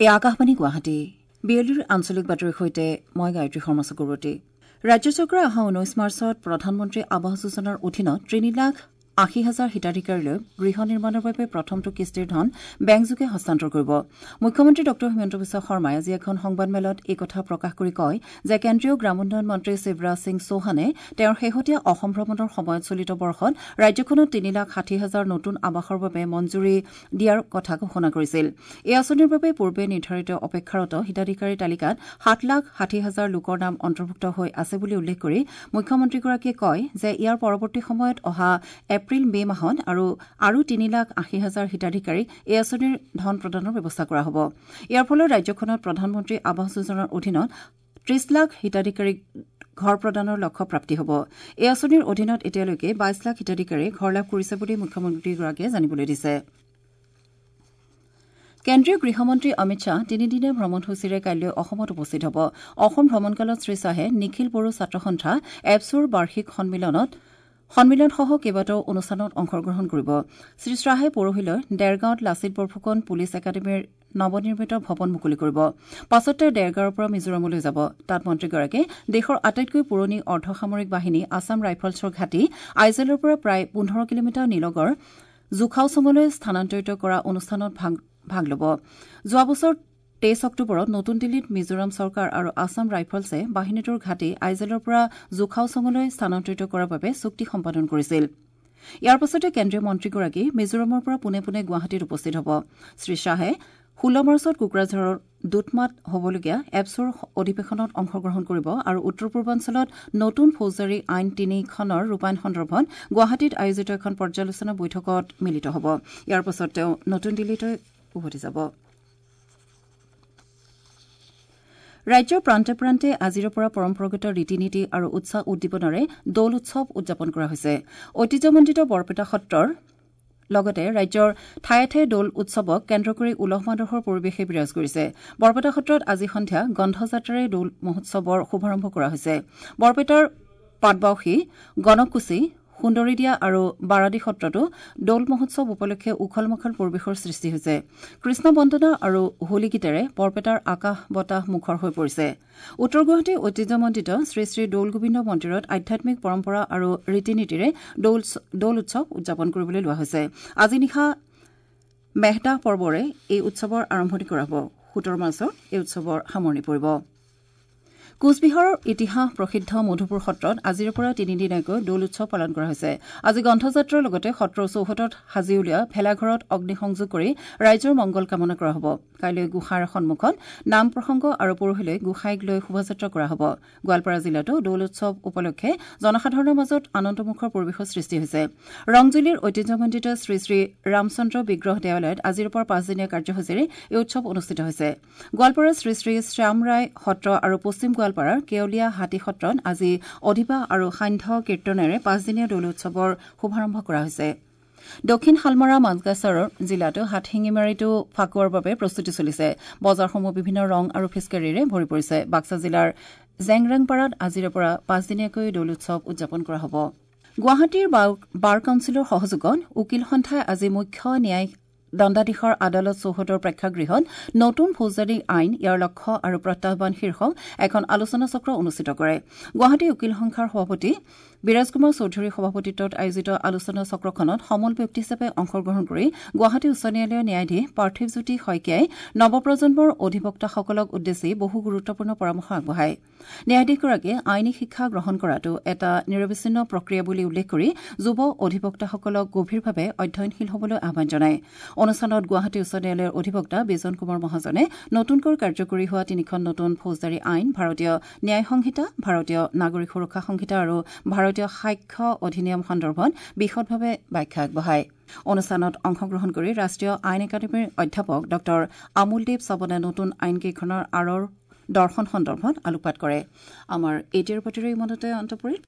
এই আকাশবাণী গুৱাহাটী বিয়লিৰ আঞ্চলিক বাতৰিৰ সৈতে মই গায়ত্ৰী শৰ্মা চক্ৰৱৰ্তী। ৰাজ্য চৰকাৰে অহা ১৯ মাৰ্চত প্ৰধানমন্ত্ৰী আৱাস যোজনাৰ অধীনত ৩,৮০,০০০ হিতাধিকাৰীলৈ গৃহ নিৰ্মাণৰ বাবে প্ৰথমটো কিস্তিৰ ধন বেংকযোগে হস্তান্তৰ কৰিব। মুখ্যমন্ত্ৰী ডঃ হিমন্ত বিশ্ব শৰ্মাই আজি এখন সংবাদমেলত এই কথা প্ৰকাশ কৰি কয় যে কেন্দ্ৰীয় গ্ৰামোন্নয়ন মন্ত্ৰী শিৱৰাজ সিং চৌহানে তেওঁৰ শেহতীয়া অসম ভ্ৰমণৰ সময়ত চলিত বৰ্ষত ৰাজ্যখনত ৩,৬০,০০০ নতুন আৱাসৰ বাবে মঞ্জুৰি দিয়াৰ কথা ঘোষণা কৰিছিল। এই আঁচনিৰ বাবে পূৰ্বে নিৰ্ধাৰিত অপেক্ষাৰত হিতাধিকাৰীৰ তালিকাত ৭,৬০,০০০ লোকৰ নাম অন্তৰ্ভুক্ত হৈ আছে বুলি উল্লেখ কৰি মুখ্যমন্ত্ৰীগৰাকীয়ে কয় যে ইয়াৰ পৰৱৰ্তী সময়ত অহা এপ্ৰিল মে মাহত আৰু ৩,৮০,০০০ হিতাধিকাৰীক এই আঁচনিৰ ধন প্ৰদানৰ ব্যৱস্থা কৰা হ'ব। ইয়াৰ ফলত ৰাজ্যখনত প্ৰধানমন্ত্ৰী আৱাস যোজনাৰ অধীনত ৩০ লাখ হিতাধিকাৰীক ঘৰ প্ৰদানৰ লক্ষ্য প্ৰাপ্তি হ'ব। এই আঁচনিৰ অধীনত এতিয়ালৈকে ২২ লাখ হিতাধিকাৰীয়ে ঘৰ লাভ কৰিছে বুলি মুখ্যমন্ত্ৰীগৰাকীয়ে জানিবলৈ দিছে। কেন্দ্ৰীয় গৃহমন্ত্ৰী অমিত শ্বাহ তিনিদিনীয়া ভ্ৰমণসূচীৰে কাইলৈ অসমত উপস্থিত হ'ব। অসম ভ্ৰমণকালত শ্ৰীশ্বাহে নিখিল বড়ো ছাত্ৰ সন্থা এপছুৰ বাৰ্ষিক সন্মিলনসহ কেইবাটাও অনুষ্ঠানত অংশগ্ৰহণ কৰিব। শ্ৰীশ্বাহে পৰহিলৈ দেৰগাঁৱত লাচিত বৰফুকন পুলিচ একাডেমীৰ নৱনিৰ্মিত ভৱন মুকলি কৰিব। পাছত তেওঁ দেৰগাঁৱৰ পৰা মিজোৰামলৈ যাব। তাত মন্ত্ৰীগৰাকীয়ে দেশৰ আটাইতকৈ পুৰণি অৰ্ধসামৰিক বাহিনী আছাম ৰাইফলছৰ ঘাটি আইজলৰ পৰা প্ৰায় ১৫ কিলোমিটাৰ নিলগৰ জোখাওচঙলৈ স্থানান্তৰিত কৰা অনুষ্ঠানত ভাগ ল'ব। যোৱা বছৰ ২৩ অক্টোবৰত নতুন দিল্লীত মিজোৰাম চৰকাৰ আৰু আছাম ৰাইফলছে বাহিনীটোৰ ঘাটি আইজলৰ পৰা জোখাওচঙলৈ স্থানান্তৰিত কৰাৰ বাবে চুক্তি সম্পাদন কৰিছিল। ইয়াৰ পাছতে কেন্দ্ৰীয় মন্ত্ৰীগৰাকী মিজোৰামৰ পৰা পোনে পোনে গুৱাহাটীত উপস্থিত হ'ব। শ্ৰীশ্বাহে ১৬ মাৰ্চত কোকৰাঝাৰৰ দুতমাত হ'বলগীয়া এপছুৰ অধিৱেশনত অংশগ্ৰহণ কৰিব আৰু উত্তৰ পূৰ্বাঞ্চলত নতুন ফৌজদাৰী আইন তিনিখনৰ ৰূপায়ণ সন্দৰ্ভত গুৱাহাটীত আয়োজিত এখন পৰ্যালোচনা বৈঠকত মিলিত হ'ব। ইয়াৰ পাছত তেওঁ নতুন দিল্লীলৈ উভতি যাব। ৰাজ্যৰ প্ৰান্তে প্ৰান্তে আজিৰে পৰা পৰম্পৰাগত ৰীতি নীতি আৰু উৎসাহ উদ্দীপনাৰে দৌল উৎসৱ উদযাপন কৰা হৈছে। ঐতিহ্যমণ্ডিত বৰপেটা সত্ৰৰ লগতে ৰাজ্যৰ ঠায়ে ঠায়ে দৌল উৎসৱক কেন্দ্ৰ কৰি উলহ মালহৰ পৰিৱেশে বিৰাজ কৰিছে। বৰপেটা সত্ৰত আজি সন্ধিয়া গন্ধযাত্ৰাৰে দৌল মহোৎসৱৰ শুভাৰম্ভ কৰা হৈছে। বৰপেটাৰ পাটবাউসী, গণককুছি, সুন্দৰীদিয়া আৰু বাৰাদি সত্ৰতো দৌল মহোৎসৱ উপলক্ষে উখল মাখল পৰিৱেশৰ সৃষ্টি হৈছে। কৃষ্ণ বন্দনা আৰু হোলী গীতেৰে বৰপেটাৰ আকাশ বতাহ মুখৰ হৈ পৰিছে। উত্তৰ গুৱাহাটীৰ ঐতিহ্যমণ্ডিত শ্ৰী শ্ৰী দৌল গোবিন্দ মন্দিৰত আধ্যাত্মিক পৰম্পৰা আৰু ৰীতি নীতিৰে দৌল উৎসৱ উদযাপন কৰিবলৈ লোৱা হৈছে। আজি নিশা মেহদাহ পৰ্বৰে এই উৎসৱৰ আৰম্ভণি কৰা হ'ব। ১৭ মাৰ্চত এই উৎসৱৰ সামৰণি পৰিব। কোচবিহাৰৰ ইতিহাস প্ৰসিদ্ধ মধুপুৰ সত্ৰত আজিৰে পৰা তিনিদিনীয়াকৈ দৌল উৎসৱ পালন কৰা হৈছে। আজি গ্ৰন্থযাত্ৰাৰ লগতে সত্ৰৰ চৌহদত সাজি উলিওৱা ভেলাঘৰত অগ্নিসংযোগ কৰি ৰাইজৰ মংগল কামনা কৰা হ'ব। কাইলৈ গোঁসাইৰ সন্মুখত নাম প্ৰসংগ আৰু পৰহিলৈ গোঁসাইক লৈ শোভাযাত্ৰা কৰা হ'ব। গোৱালপাৰা জিলাতো দৌল উৎসৱ উপলক্ষে জনসাধাৰণৰ মাজত আনন্দমুখৰ পৰিৱেশৰ সৃষ্টি হৈছে। ৰংজুলিৰ ঐতিহ্যমণ্ডিত শ্ৰী শ্ৰী ৰামচন্দ্ৰ বিগ্ৰহ দেৱালয়ত আজিৰ পৰা পাঁচদিনীয়া কাৰ্যসূচীৰে এই উৎসৱ অনুষ্ঠিত হৈছে। গোৱালপাৰাৰ শ্ৰী শ্ৰী শ্যামৰায় সত্ৰ আৰু পশ্চিম গোৱালপাৰাৰ কেৱলীয়া হাতী সত্ৰত আজি অধিবাহ আৰু সান্ধ্য কীৰ্তনেৰে পাঁচদিনীয়া দৌল উৎসৱৰ শুভাৰম্ভ কৰা হৈছে। দক্ষিণ শালমৰা মানকাছাৰ জিলাতো হাটশিঙিমাৰীতো ফাকুৱাৰ বাবে প্ৰস্তুতি চলিছে। বজাৰসমূহ বিভিন্ন ৰং আৰু ফিচকাৰীৰে ভৰি পৰিছে। বাক্সা জিলাৰ জেংৰাংপাৰাত আজিৰে পৰা পাঁচদিনীয়াকৈ দৌল উৎসৱ উদযাপন কৰা হ'ব। গুৱাহাটীৰ বাৰ কাউন্সিলৰ সহযোগত উকীল সন্থাই আজি মুখ্য ন্যায়িক দণ্ডাধীশৰ আদালত চৌহদৰ প্ৰেক্ষাগৃহত নতুন ফৌজদাৰী আইন, ইয়াৰ লক্ষ্য আৰু প্ৰত্যাহ্বান শীৰ্ষক এখন আলোচনা চক্ৰ অনুষ্ঠিত কৰে। গুৱাহাটী উকীল সংস্থাৰ সভাপতি বিৰাজ কুমাৰ চৌধুৰীৰ সভাপতিত্বত আয়োজিত আলোচনা চক্ৰখনত সমল ব্যক্তি হিচাপে অংশগ্ৰহণ কৰি গুৱাহাটী উচ্চ ন্যায়ালয়ৰ ন্যায়াধীশ পাৰ্থিৱজ্যোতি শইকীয়াই নৱপ্ৰজন্মৰ অধিবক্তাসকলক উদ্দেশ্যি বহু গুৰুত্বপূৰ্ণ পৰামৰ্শ আগবঢ়ায়। ন্যায়াধীশগৰাকীয়ে আইনী শিক্ষা গ্ৰহণ কৰাটো এটা নিৰৱচ্ছিন্ন প্ৰক্ৰিয়া বুলি উল্লেখ কৰি যুৱ অধিবক্তাসকলক গভীৰভাৱে অধ্যয়নশীল হ'বলৈ আহ্বান জনায়। অনুষ্ঠানত গুৱাহাটী উচ্চ ন্যায়ালয়ৰ অধিবক্তা বিজন কুমাৰ মহাজনে নতুনকৈ কাৰ্যকৰী হোৱা তিনিখন নতুন ফৌজদাৰী আইন, ভাৰতীয় ন্যায় সংহিতা, ভাৰতীয় নাগৰিক সুৰক্ষা সংহিতা আৰু ভাৰতীয় সাক্ষ্য অধিনিয়ম সন্দৰ্ভত বিশদভাৱে ব্যাখ্যা আগবঢ়ায়। অনুষ্ঠানত অংশগ্ৰহণ কৰি ৰাষ্ট্ৰীয় আইন একাডেমীৰ অধ্যাপক ডঃ আমোলদেৱ চৱনে নতুন আইনকেইখনৰ আঁৰৰ দৰ্শন সন্দৰ্ভত আলোকপাত কৰে। আমাৰ এতিয়াৰ বাতৰি ইমানতে অন্ত পৰিল।